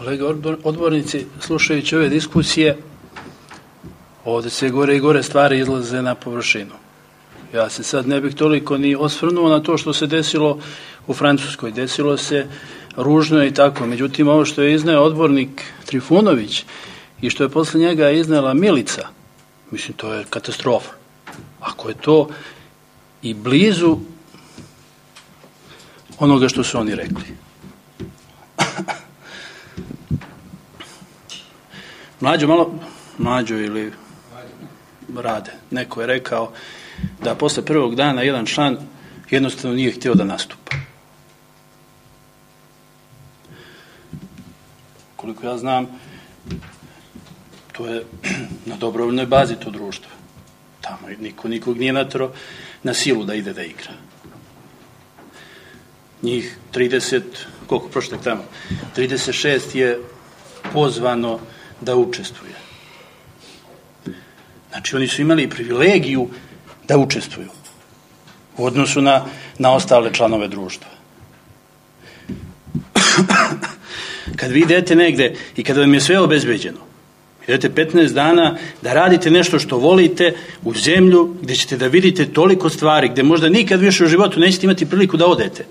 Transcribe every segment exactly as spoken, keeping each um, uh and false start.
Kolega odbornici, slušajući ove diskusije, ovdje se gore i gore stvari izlaze na površinu. Ja se sad ne bih toliko ni osvrnuo na to što se desilo u Francuskoj. Desilo se ružno i tako. Međutim, ovo što je izneo odbornik Trifunović i što je posle njega iznela Milica, mislim, to je katastrofa. Ako je to i blizu onoga što su oni rekli. Mlađo malo, mlađo ili Rade, neko je rekao da posle prvog dana jedan član jednostavno nije htio da nastupa. Koliko ja znam, to je na dobrovoljnoj bazi to društvo. Tamo niko nikog nije natero na silu da ide da igra. Njih trideset, koliko prošlog tamo, trideset šest je pozvano da učestvuje. Znači, oni su imali privilegiju da učestvuju u odnosu na, na ostale članove društva. Kad vi idete negde i kada vam je sve obezbeđeno, idete petnaest dana da radite nešto što volite u zemlju gdje ćete da vidite toliko stvari, gdje možda nikad više u životu nećete imati priliku da odete,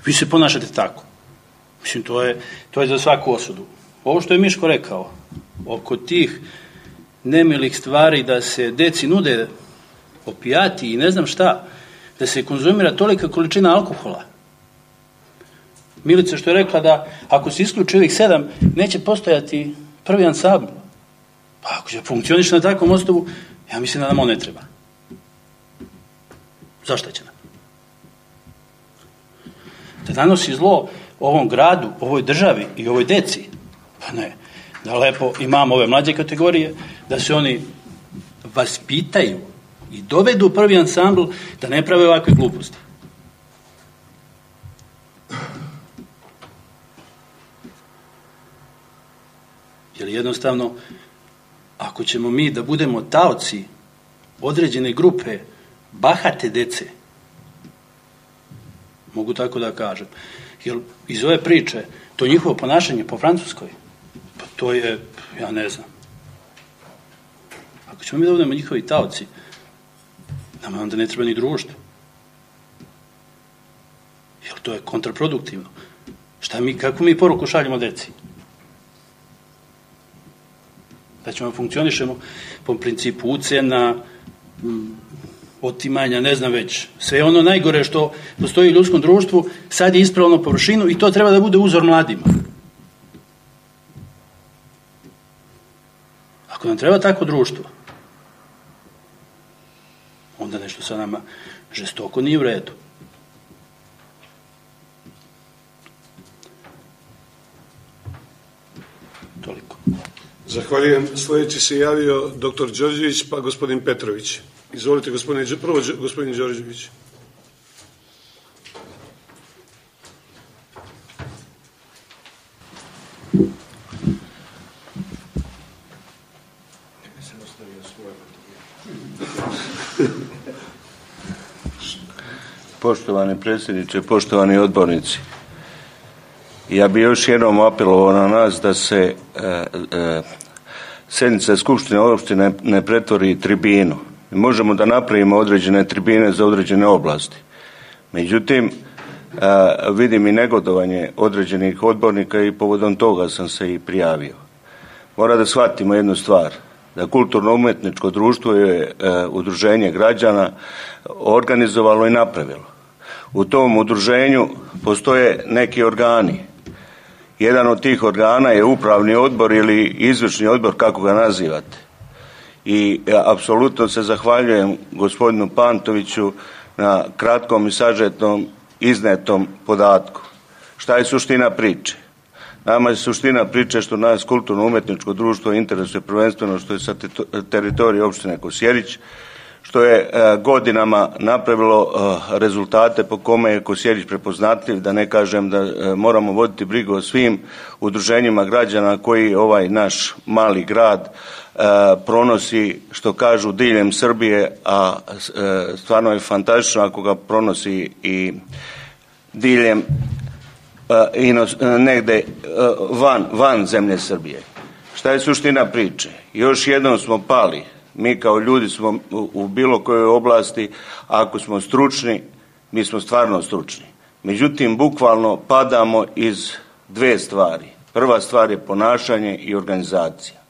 vi se ponašate tako. Mislim, to je, to je za svaku osudu. Ovo što je Miško rekao, oko tih nemilih stvari da se deci nude opijati i ne znam šta, da se konzumira tolika količina alkohola. Milica što je rekla da ako se isključi ovih sedam, neće postojati prvi ansambl. Pa ako će funkcioniš na takvom osnovu, ja mislim da nam on ne treba. Zašto će nam? Da nanosi zlo ovom gradu, ovoj državi i ovoj deci, pa ne. Da lepo imamo ove mlađe kategorije, da se oni vaspitaju i dovedu prvi ansambl da ne prave ovakve gluposti. Jer jednostavno, ako ćemo mi da budemo taoci određene grupe bahate dece, mogu tako da kažem, jer iz ove priče, to njihovo ponašanje po Francuskoj, pa to je, ja ne znam. Ako ćemo mi da budemo njihovi taoci, nama onda ne treba ni društvo. Jer to je kontraproduktivno. Šta mi, kako mi poruku šaljemo deci? Da ćemo funkcionišemo po principu ucena, otimanja, ne znam već. Sve ono najgore što postoji u ljudskom društvu, sad je ispravno površinu i to treba da bude uzor mladima. Ako nam treba tako društvo, onda nešto sa nama žestoko nije u redu. Toliko. Zahvaljujem. Sljedeći se javio doktor Đorđević, pa gospodin Petrović. Izvolite, gospodine, prvo gospodin Đorđević. Poštovani predsjedniče, poštovani odbornici, ja bih još jednom apelovao na nas da se e, e, sjednica Skupštine opštine ne pretvori tribinu. Mi možemo da napravimo određene tribine za određene oblasti. Međutim, e, vidim i negodovanje određenih odbornika i povodom toga sam se i prijavio. Mora da shvatimo jednu stvar, da kulturno-umjetničko društvo je e, udruženje građana organizovalo i napravilo. U tom udruženju postoje neki organi. Jedan od tih organa je upravni odbor ili izvršni odbor, kako ga nazivate. I ja apsolutno se zahvaljujem gospodinu Pantoviću na kratkom i sažetom iznetom podatku. Šta je suština priče? Nama je suština priče što nas kulturno-umjetničko društvo interesuje prvenstveno što je sa teritorije opštine Kosjerić, što je godinama napravilo rezultate po kome je Kosjerić prepoznatljiv, da ne kažem da moramo voditi brigu o svim udruženjima građana koji ovaj naš mali grad pronosi, što kažu, diljem Srbije, a stvarno je fantastično ako ga pronosi i diljem negde van, van zemlje Srbije. Šta je suština priče? Još jednom smo pali. Mi kao ljudi smo u bilo kojoj oblasti, ako smo stručni, mi smo stvarno stručni. Međutim, bukvalno padamo iz dve stvari. Prva stvar je ponašanje i organizacija.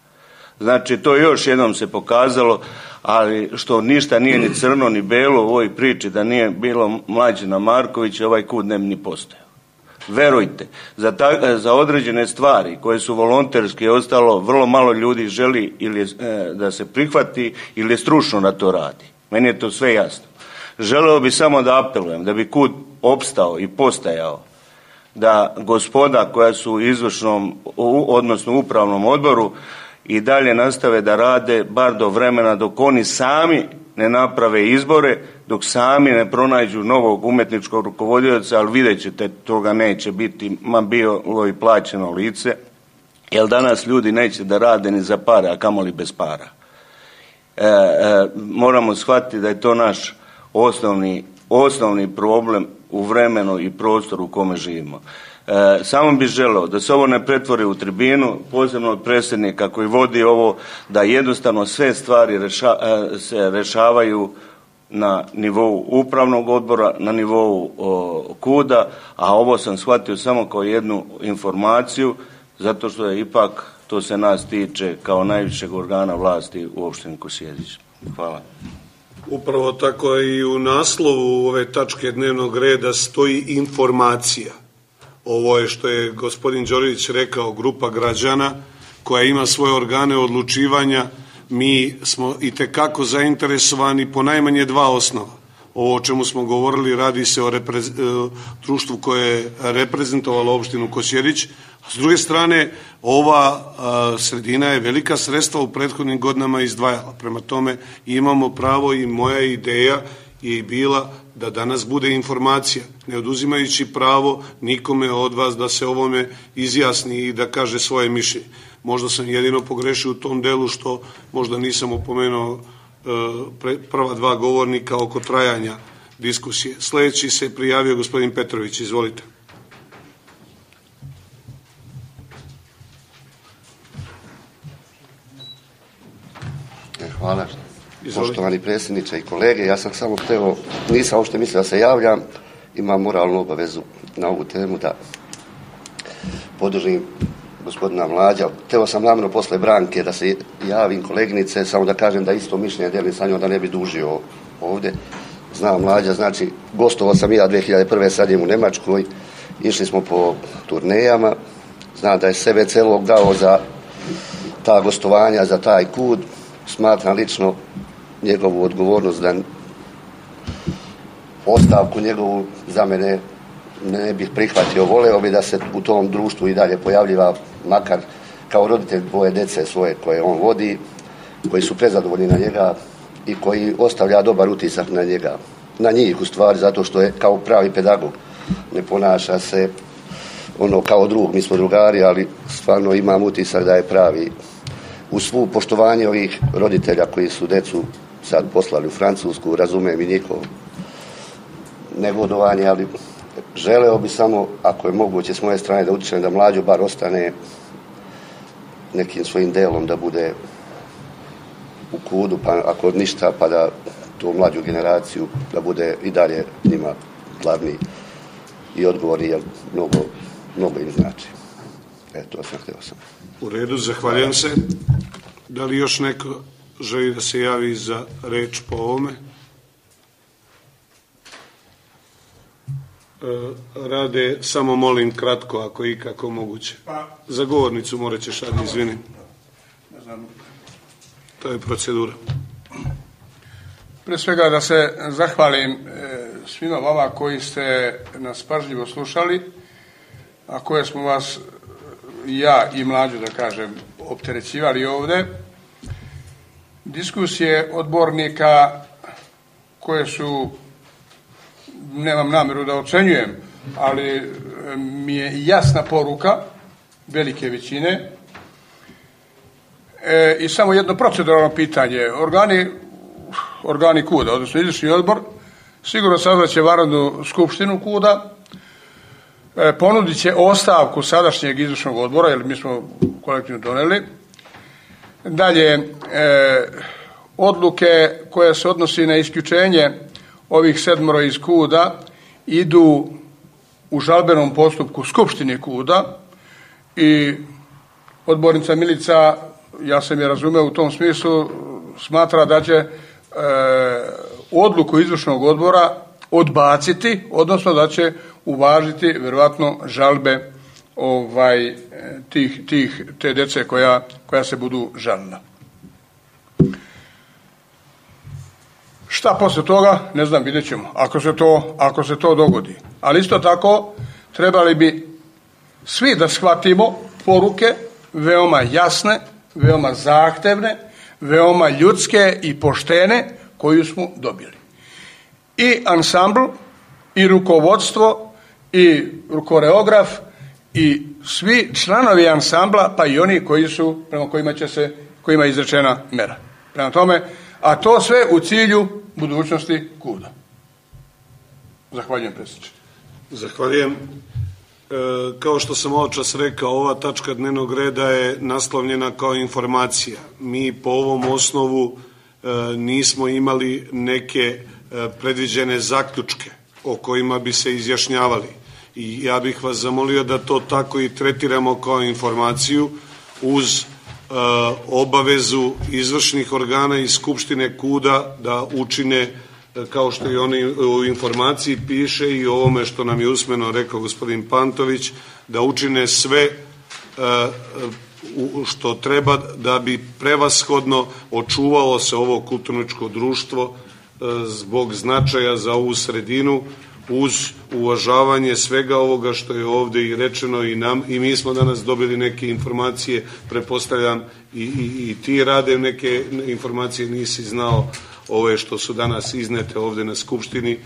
Znači, to još jednom se pokazalo, ali što ništa nije ni crno ni belo u ovoj priči, da nije bilo Mlađana Markovića, ovaj kud ne bi ni postojao. Verujte, za, ta, za određene stvari koje su volonterske ostalo, vrlo malo ljudi želi ili e, da se prihvati ili je stručno da to radi. Meni je to sve jasno. Želeo bi samo da apelujem, da bi kud opstao i postajao, da gospoda koja su u izvršnom, odnosno upravnom odboru i dalje nastave da rade bar do vremena dok oni sami ne naprave izbore, dok sami ne pronađu novog umetničkog rukovodioca, ali vidjet ćete, toga neće biti, ma bilo i plaćeno lice, jer danas ljudi neće da rade ni za pare, a kamoli bez para. E, e, moramo shvatiti da je to naš osnovni, osnovni problem u vremenu i prostoru u kome živimo. E, samo bih želeo da se ovo ne pretvori u tribinu, posebno od predsjednika koji vodi ovo, da jednostavno sve stvari reša, e, se rešavaju na nivou upravnog odbora, na nivou o, kuda, a ovo sam shvatio samo kao jednu informaciju, zato što je ipak, to se nas tiče kao najvišeg organa vlasti u opštini Kosjerić. Hvala. Upravo tako i u naslovu ove tačke dnevnog reda stoji informacija. Ovo je što je gospodin Đorđević rekao, grupa građana koja ima svoje organe odlučivanja. Mi smo i tekako zainteresovani po najmanje dva osnova. Ovo o čemu smo govorili, radi se o reprez, društvu koje je reprezentovalo opštinu Kosjerić. A s druge strane, ova a, sredina je velika sredstva u prethodnim godinama izdvajala. Prema tome imamo pravo i moja ideja je bila da danas bude informacija, ne oduzimajući pravo nikome od vas da se ovome izjasni i da kaže svoje mišljenje. Možda sam jedino pogrešio u tom delu što možda nisam opomenuo e, prva dva govornika oko trajanja diskusije. Sljedeći se prijavio gospodin Petrović, izvolite. Hvala. Poštovani predsjedniče i kolege, ja sam samo hteo, nisam uopšte mislio da se javljam, imam moralnu obavezu na ovu temu da podržim gospodina Mlađa. Hteo sam namjerno posle Branke da se javim koleginice, samo da kažem da isto mišljenje delim sa njom, da ne bi dužio ovdje. Znam Mlađa, znači gostovao sam i ja dve hiljade prve. sadim u Nemačkoj, išli smo po turnejama, znam da je sebe celog dao za ta gostovanja, za taj kud. Smatram lično njegovu odgovornost da ostavku njegovu za mene ne bih prihvatio. Voleo bi da se u tom društvu i dalje pojavljiva, makar kao roditelj dvoje dece svoje koje on vodi, koji su prezadovoljni na njega i koji ostavlja dobar utisak na njega, na njih u stvari, zato što je kao pravi pedagog, ne ponaša se ono kao drug, mi smo drugari, ali stvarno imam utisak da je pravi. U svu poštovanje ovih roditelja koji su decu sad poslali u Francusku, razumijem i njihov negodovanje, ali želeo bi samo, ako je moguće s moje strane, da utičem da Mlađo bar ostane nekim svojim delom, da bude u kudu, pa ako ništa, pa da tu mlađu generaciju, da bude i dalje njima glavni i odgovorni, jer mnogo, mnogo im znači. Eto, sam htio sam. U redu, zahvaljujem se. Da li još neko želi da se javi za reč po ovome? E, rade, samo molim kratko, ako i kako moguće. Za govornicu morat ćeš, Adi, izvini. To je procedura. Pre svega da se zahvalim svima vama koji ste nas pažljivo slušali, a koje smo vas, ja i Mlađu, da kažem, opterećivali ovde. Diskusije odbornika koje su, nemam namjeru da ocenjujem, ali mi je jasna poruka velike većine. E, I samo jedno proceduralno pitanje. Organi, organi kuda, odnosno izvršni odbor, sigurno sazvaće vanrednu skupštinu kuda ponudit će ostavku sadašnjeg izvršnog odbora, jer mi smo kolektivno doneli. Dalje, e, odluke koje se odnosi na isključenje ovih sedmoro iz KUD-a idu u žalbenom postupku Skupštini KUD-a i odbornica Milica, ja sam je razumeo u tom smislu, smatra da će e, odluku izvršnog odbora odbaciti, odnosno da će uvažiti vjerojatno žalbe ovaj, tih, tih, te djece koja, koja se budu žalila. Šta poslije toga, ne znam, vidjet ćemo, ako se to, ako se to dogodi. Ali isto tako trebali bi svi da shvatimo poruke veoma jasne, veoma zahtevne, veoma ljudske i poštene koju smo dobili. I ansambl, i rukovodstvo, i koreograf, i svi članovi ansambla, pa i oni koji su, prema kojima će se, kojima je izrečena mera. Prema tome, a to sve u cilju budućnosti KUD-a. Zahvaljujem, predsjedniče. Zahvaljujem. E, kao što sam ovo čas rekao, ova tačka dnevnog reda je naslovljena kao informacija. Mi po ovom osnovu e, nismo imali neke e, predviđene zaključke o kojima bi se izjašnjavali. I ja bih vas zamolio da to tako i tretiramo kao informaciju uz e, obavezu izvršnih organa i Skupštine KUD-a da učine, e, kao što i oni u informaciji piše i ovome što nam je usmeno rekao gospodin Pantović, da učine sve e, u, što treba da bi prevashodno očuvalo se ovo kulturničko društvo e, zbog značaja za ovu sredinu, uz uvažavanje svega ovoga što je ovdje i rečeno i nam, i mi smo danas dobili neke informacije, pretpostavljam i, i, i ti rade neke informacije, nisi znao ove što su danas iznete ovdje na Skupštini,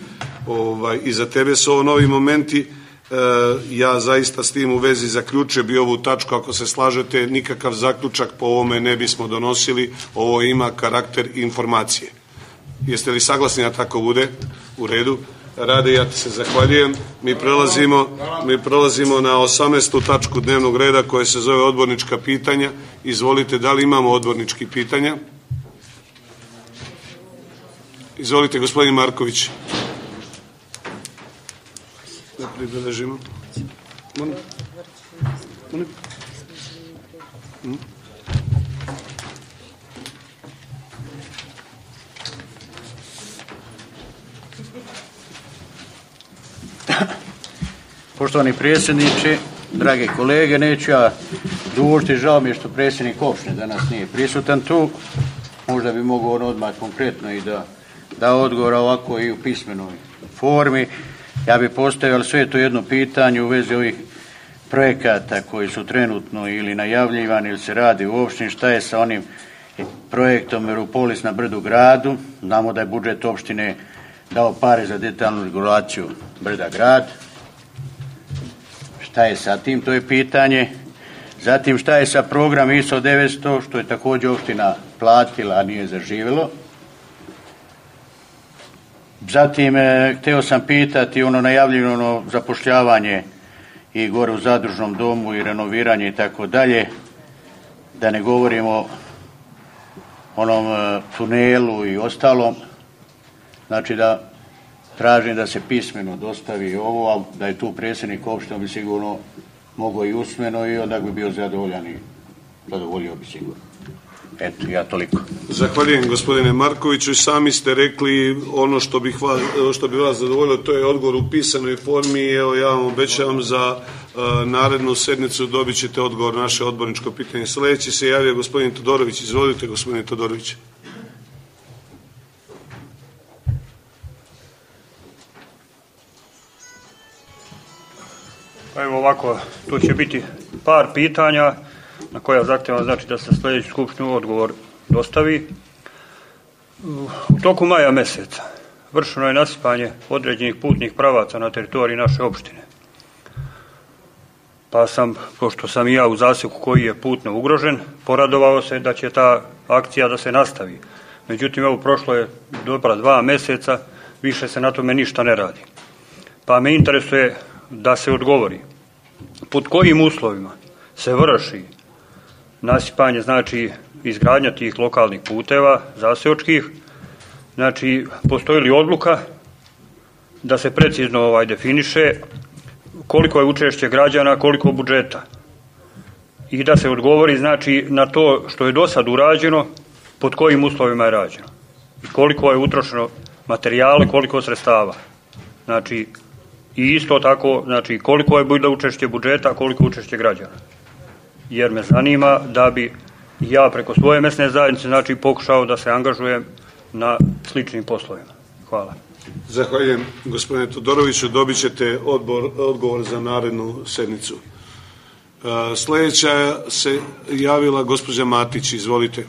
ovaj, i za tebe su ovo novi momenti. E, ja zaista s tim u vezi zaključio bi ovu tačku, ako se slažete, nikakav zaključak po ovome ne bismo donosili, ovo ima karakter informacije. Jeste li saglasni da tako bude? U redu. Rade, ja ti se zahvaljujem. Mi prelazimo, mi prelazimo na osamnaestu tačku dnevnog reda koja se zove odbornička pitanja. Izvolite, da li imamo odbornički pitanja? Izvolite, gospodin Marković. Da pribeležimo. Molim. Molim. Hmm? Poštovani predsjedniče, drage kolege, neću ja dužiti, žao mi je što predsjednik opštine danas nije prisutan tu, možda bi mogao on odmah konkretno i da da odgovor ovako i u pismenoj formi. Ja bi postavio sve to jedno pitanje u vezi ovih projekata koji su trenutno ili najavljivani ili se radi u opštini, šta je sa onim projektom Europolis na Brdu gradu. Znamo da je budžet opštine dao pare za detaljnu regulaciju Brda grad. Šta je sa tim, to je pitanje. Zatim, šta je sa program I S O devetsto, što je također opština platila, a nije zaživjelo. Zatim, e, htio sam pitati ono najavljeno zapošljavanje i gore u zadružnom domu i renoviranje i tako dalje, da ne govorimo o onom e, tunelu i ostalom. Znači da tražim da se pismeno dostavi ovo, a da je tu predsjednik opštine bi sigurno mogao i usmeno i onda bi bio zadovoljan i zadovoljio bi sigurno. Eto, ja toliko. Zahvaljujem, gospodine Markoviću. Sami ste rekli ono što, bih vas, što bi vas zadovoljilo, to je odgovor u pisanoj formi. Evo, ja vam obećavam za uh, narednu sednicu dobit ćete odgovor na naše odborničko pitanje. Sljedeći se javio gospodin Todorović. Izvolite, gospodine Todorović. Pa evo ovako, tu će biti par pitanja na koja zahtjevam, znači da se sljedeći skupštinu odgovor dostavi. U toku maja mjeseca vršeno je nasipanje određenih putnih pravaca na teritoriji naše opštine. Pa sam, pošto sam i ja u zaseku koji je putno ugrožen, poradovao se da će ta akcija da se nastavi. Međutim, evo prošlo je dobra dva mjeseca, više se na tome ništa ne radi. Pa me interesuje da se odgovori pod kojim uslovima se vrši nasipanje, znači izgradnja tih lokalnih puteva zaseočkih, znači postoji li odluka da se precizno ovaj definiše koliko je učešće građana, koliko budžeta i da se odgovori znači na to što je do sad urađeno, pod kojim uslovima je rađeno i koliko je utrošeno materijala, koliko sredstava. Znači, i isto tako, znači koliko je bilo učešće budžeta, koliko učešće građana. Jer me zanima da bi ja preko svoje mesne zajednice znači pokušao da se angažujem na sličnim poslovima. Hvala. Zahvaljujem gospodine Todoroviću, dobit ćete odbor, odgovor za narednu sednicu. Uh, sljedeća se javila gospođa Matić, izvolite.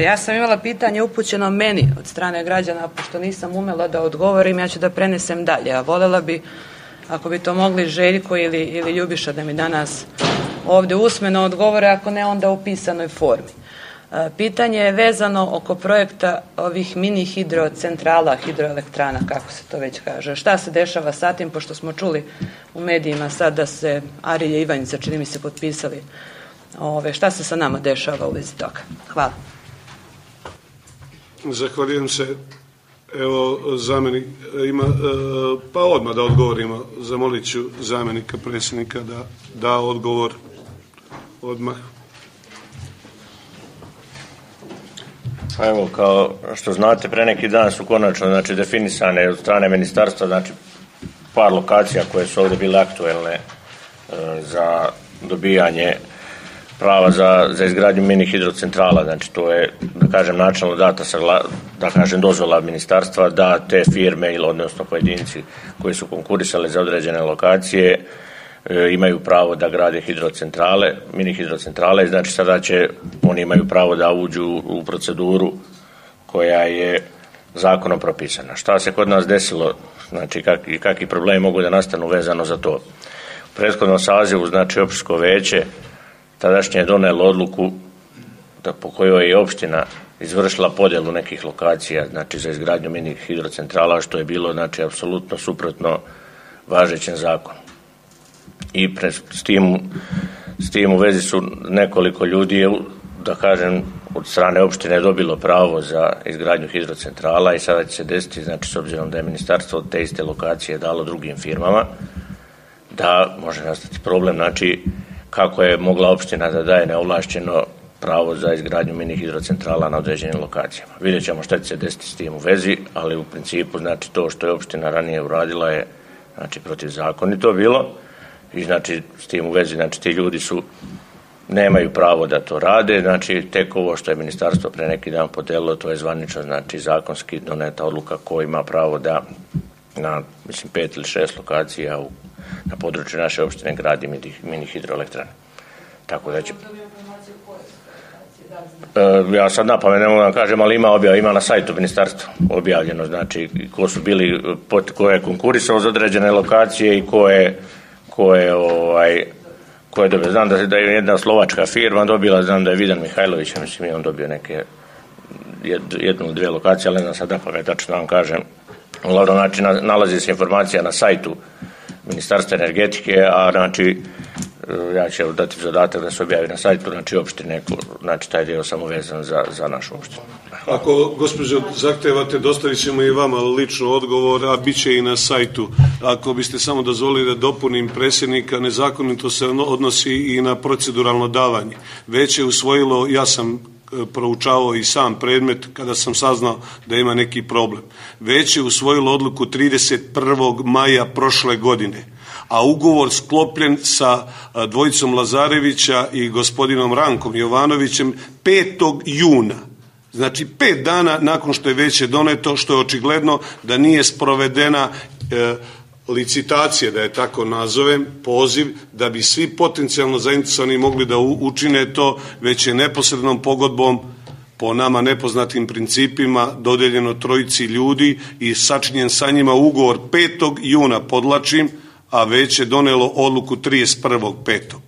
Ja sam imala pitanje upućeno meni od strane građana, pošto nisam umela da odgovorim, ja ću da prenesem dalje, a voljela bi, ako bi to mogli Željko ili, ili Ljubiša da mi danas ovdje usmeno odgovore, ako ne onda u pisanoj formi. Pitanje je vezano oko projekta ovih mini hidrocentrala, hidroelektrana, kako se to već kaže. Šta se dešava sa tim, pošto smo čuli u medijima sad da se Arija i Ivanjica, čini mi se, potpisali. Ove, šta se sa nama dešava u vezi toga? Hvala. Zahvaljujem se. Evo, zamjenik ima, pa odmah da odgovorimo. Zamolit ću zamjenika predsjednika da da odgovor odmah. Pa evo, kao što znate, pre neki dan su konačno znači, definisane od strane ministarstva znači, par lokacija koje su ovdje bile aktuelne e, za dobijanje prava za, za izgradnju mini hidrocentrala. Znači, to je, da kažem, načelno data sagla, da kažem, dozvola ministarstva da te firme ili odnosno pojedinci koji su konkurisali za određene lokacije e, imaju pravo da grade hidrocentrale, mini hidrocentrale, znači sada će, oni imaju pravo da uđu u proceduru koja je zakonom propisana. Šta se kod nas desilo, znači kak, i kakvi problemi mogu da nastanu vezano za to. U prethodnom sazivu, znači opštinsko veće tadašnje je donijelo odluku da po kojoj je opština izvršila podjelu nekih lokacija, znači za izgradnju mini hidrocentrala, što je bilo znači apsolutno suprotno važećem zakonu. I pre, s, tim, s tim u vezi su nekoliko ljudi, da kažem, od strane opštine dobilo pravo za izgradnju hidrocentrala i sada će se desiti, znači s obzirom da je ministarstvo te iste lokacije dalo drugim firmama, da može nastati problem, znači kako je mogla opština da daje neovlašćeno pravo za izgradnju mini hidrocentrala na određenim lokacijama. Vidjet ćemo šta će se desiti s tim u vezi, ali u principu znači to što je opština ranije uradila je znači protivzakonito bilo i znači s tim u vezi znači ti ljudi su nemaju pravo da to rade, znači tek ovo što je ministarstvo pre neki dan podelilo, to je zvanično znači zakonski doneta odluka ko ima pravo da na mislim pet ili šest lokacija u, na području naše opštine gradi mini hidroelektrane. Tako da će E, ja sad napamet ne mogu da kažem, ali ima objav, ima na sajtu ministarstva objavljeno, znači ko su bili, ko je konkurisao za određene lokacije i ko je, ko je, ovaj, ko je dobio. Znam da, da je jedna slovačka firma dobila, znam da je Vidan Mihajlović, mislim i on dobio neke jednu ili dvije lokacije, ali ne znam sad napamet, tačno vam kažem. Uglavnom, znači, nalazi se informacija na sajtu Ministarstva energetike, a znači ja ću dati zadatak da se objavi na sajtu, znači opštine, znači taj dio samo vezan za, za našu opštinu. Ako, gospođo, zahtevate, dostavit ćemo i vama lično odgovor, a bit će i na sajtu. Ako biste samo dozvolili da dopunim predsjednika, nezakonito se odnosi i na proceduralno davanje. Već je usvojilo, ja sam proučavao i sam predmet kada sam saznao da ima neki problem. Već je usvojilo odluku trideset prvog maja prošle godine, a ugovor sklopljen sa dvojicom Lazarevića i gospodinom Rankom Jovanovićem petog juna. Znači pet dana nakon što je već je doneto, što je očigledno da nije sprovedena e, licitacije, da je tako nazovem, poziv, da bi svi potencijalno zainteresovani mogli da učine to, već je neposrednom pogodbom po nama nepoznatim principima dodeljeno trojici ljudi i sačinjen sa njima ugovor petog juna, podlačim, a već je donelo odluku trideset prvog petog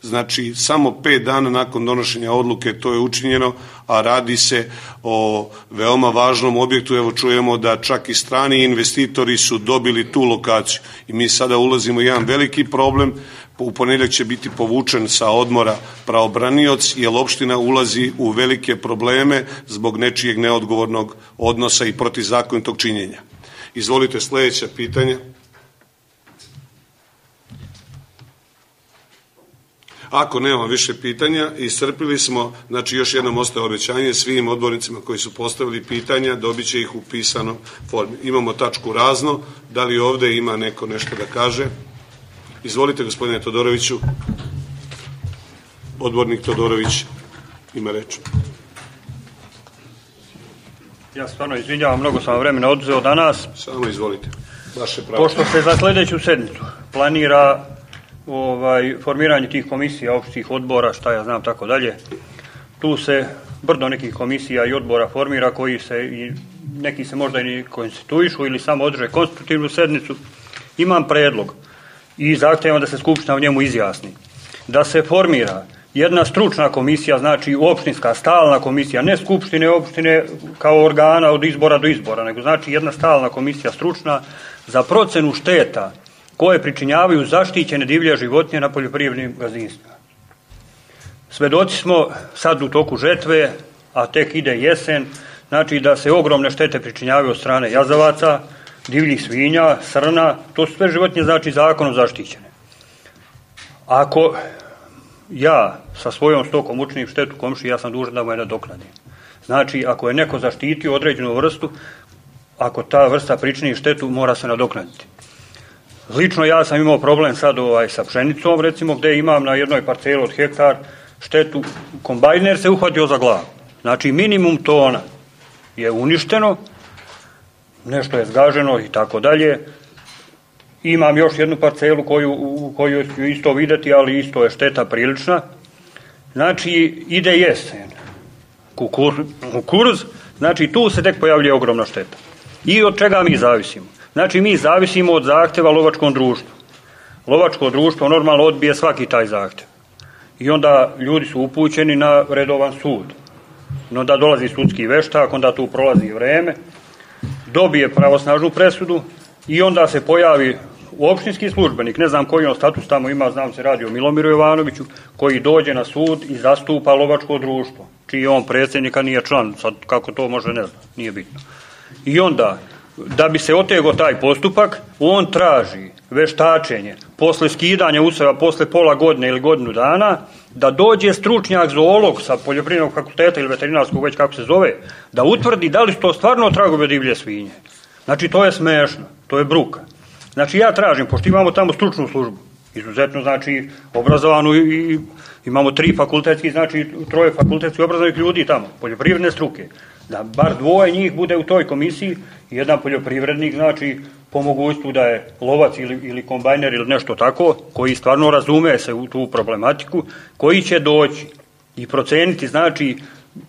Znači, samo pet dana nakon donošenja odluke to je učinjeno, a radi se o veoma važnom objektu. Evo čujemo da čak i strani investitori su dobili tu lokaciju. I mi sada ulazimo u jedan veliki problem. U ponedjeljak će biti povučen sa odmora pravobranioc, jer opština ulazi u velike probleme zbog nečijeg neodgovornog odnosa i protivzakonitog činjenja. Izvolite sljedeće pitanje. Ako nema više pitanja, iscrpili smo, znači još jednom ostaje obećanje svim odbornicima koji su postavili pitanja, dobit će ih u pisanom formi. Imamo tačku razno, da li ovdje ima neko nešto da kaže? Izvolite, gospodine Todoroviću. Odbornik Todorović ima reč. Ja stvarno izvinjavam, mnogo sam vremena oduzeo danas. Samo izvolite. Vaše pravo. Pošto se za sljedeću sedmicu planira ovaj, formiranje tih komisija, opštih odbora, šta ja znam, tako dalje, tu se brdo nekih komisija i odbora formira koji se, i neki se možda i konstituišu ili samo održe konstitutivnu sednicu. Imam predlog i zahtjevam da se Skupština u njemu izjasni. Da se formira jedna stručna komisija, znači opštinska stalna komisija, ne skupštine opštine kao organa od izbora do izbora, nego znači jedna stalna komisija stručna za procenu šteta koje pričinjavaju zaštićene divlje životinje na poljoprivrednim gazdinstvima. Svedoci smo sad u toku žetve, a tek ide jesen, znači da se ogromne štete pričinjavaju od strane jazavaca, divljih svinja, srna, to su sve životinje, znači zakonom zaštićene. Ako ja sa svojom stokom učinim štetu komšiji, ja sam dužan da mu je nadoknadim. Znači, ako je neko zaštitio određenu vrstu, ako ta vrsta pričini štetu, mora se nadoknaditi. Lično ja sam imao problem sad ovaj, sa pšenicom, recimo, gdje imam na jednoj parceli od hektar štetu, kombajner se uhvatio za glavu. Znači, minimum tona je uništeno, nešto je zgaženo i tako dalje. Imam još jednu parcelu koju, u koju ću isto vidjeti, ali isto je šteta prilična. Znači, ide jesen, kukur, kukuruz, znači tu se tek pojavljuje ogromna šteta. I od čega mi zavisimo? Znači, mi zavisimo od zahtjeva lovačkom društvu. Lovačko društvo normalno odbije svaki taj zahtjev. I onda ljudi su upućeni na redovan sud. Onda dolazi sudski veštak, onda tu prolazi vreme, dobije pravosnažnu presudu i onda se pojavi opštinski službenik, ne znam koji on status tamo ima, znam se radi o Milomiru Jovanoviću, koji dođe na sud i zastupa lovačko društvo, čiji on predsjednika nije član, sad kako to može ne znam, nije bitno. I onda, da bi se otegao taj postupak, on traži veštačenje, posle skidanja useva, posle pola godine ili godinu dana, da dođe stručnjak zoolog sa poljoprivrednog fakulteta ili veterinarskog, već kako se zove, da utvrdi da li su to stvarno tragove divlje svinje. Znači, to je smešno, to je bruka. Znači, ja tražim, pošto imamo tamo stručnu službu, izuzetno, znači, obrazovanu i imamo tri fakultetski, znači, troje fakultetski obrazovanih ljudi tamo, poljoprivredne struke, da bar dvoje njih bude u toj komisiji, jedan poljoprivrednik, znači, po mogućstvu da je lovac ili, ili kombajner ili nešto tako, koji stvarno razume se u tu problematiku, koji će doći i proceniti, znači,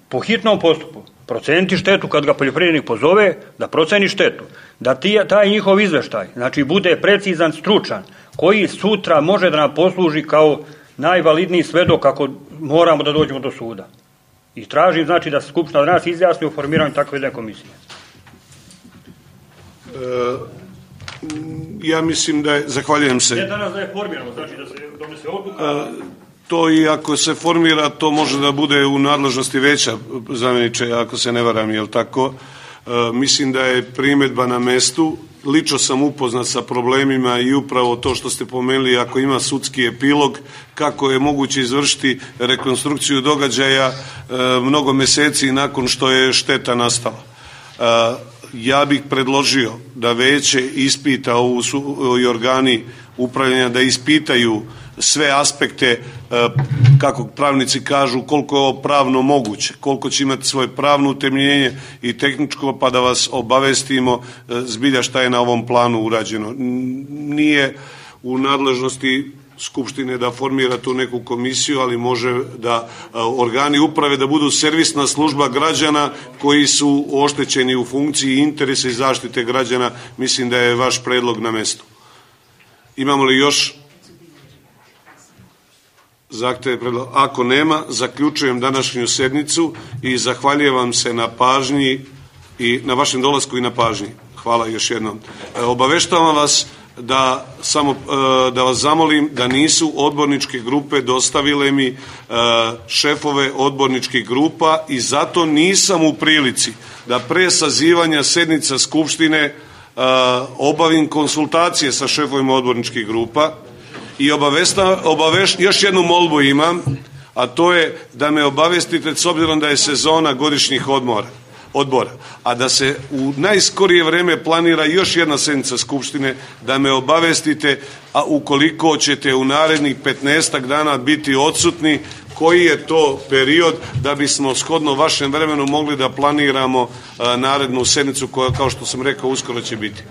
po hitnom postupu, proceniti štetu kad ga poljoprivrednik pozove, da proceni štetu, da ti, taj njihov izveštaj, znači, bude precizan, stručan, koji sutra može da nam posluži kao najvalidniji svedok ako moramo da dođemo do suda. I tražim, znači, da se Skupština od nas izjasni u formiranju takve jedne komisije. E, ja mislim da je, zahvaljujem se. Ne danas da je formirano, znači da se donese odluka. E, to i ako se formira, to može da bude u nadležnosti veća, zamjeniče, ako se ne varam, jel tako? E, mislim da je primjedba na mestu. Lično sam upoznat sa problemima i upravo to što ste pomenuli, ako ima sudski epilog, kako je moguće izvršiti rekonstrukciju događaja e, mnogo meseci nakon što je šteta nastala. E, ja bih predložio da veće ispita ovu su, i organi upravljanja da ispitaju sve aspekte, kako pravnici kažu, koliko je ovo pravno moguće, koliko će imati svoje pravno utemeljenje i tehničko, pa da vas obavestimo zbilja šta je na ovom planu urađeno. Nije u nadležnosti Skupštine da formira tu neku komisiju, ali može da organi uprave da budu servisna služba građana koji su oštećeni u funkciji interesa i zaštite građana. Mislim da je vaš predlog na mestu. Imamo li još? zahteve, predloga. Ako nema, zaključujem današnju sednicu i zahvaljujem vam se na pažnji i na vašem dolasku i na pažnji. Hvala još jednom. Obaveštavam vas da samo da vas zamolim da nisu odborničke grupe dostavile mi šefove odborničkih grupa i zato nisam u prilici da pre sazivanja sednica Skupštine obavim konsultacije sa šefovima odborničkih grupa i obavesta, obaveš, još jednu molbu imam, a to je da me obavestite s obzirom da je sezona godišnjih odmora odbora, a da se u najskorije vreme planira još jedna sednica Skupštine, da me obavestite, a ukoliko ćete u narednih petnaestak dana biti odsutni, koji je to period da bismo shodno vašem vremenu mogli da planiramo narednu sednicu koja, kao što sam rekao, uskoro će biti.